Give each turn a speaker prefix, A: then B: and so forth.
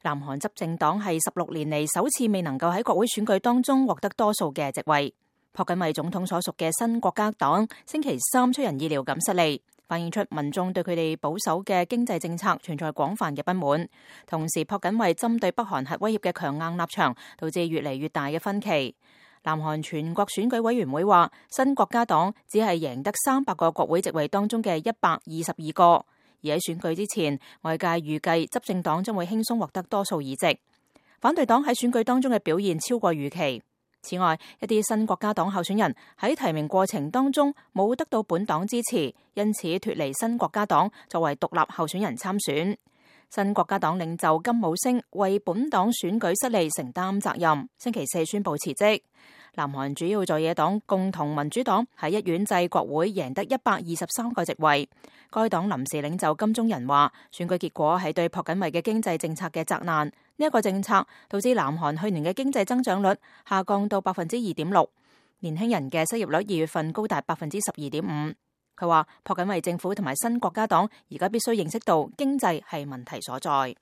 A: 南韓執政黨係16年嚟首次未能夠喺國會選舉當中獲得多數嘅席位。朴槿惠總統所屬嘅新國家黨星期三出人意料咁失利，反映出民眾對佢哋保守嘅經濟政策存在廣泛嘅不滿。同時，朴槿惠針對北韓核威脅嘅強硬立場，導致越嚟越大嘅分歧。南韓全國選舉委員會話，新國家黨只係贏得300個國會席位當中嘅122個，而喺選舉之前，外界預計執政黨將會輕鬆獲得多數議席。反對黨喺選舉當中嘅表現超過預期。此外，一啲新國家黨候選人喺提名過程當中冇得到本黨支持，因此脫離新國家黨作為獨立候選人參選。新國家黨領袖金武星為本黨選舉失利承擔責任，星期四宣布辭職。南韓主要在野黨共同民主黨喺一院制國會贏得123個席位。該黨臨時領袖金鐘仁話，選舉結果係對朴槿惠嘅經濟政策嘅責難。呢一個政策導致南韓去年嘅經濟增長率下降到2.6%，年輕人嘅失業率2月份高達12.5%。佢話朴槿惠政府同埋新國家黨而家必須認識到經濟係問題所在。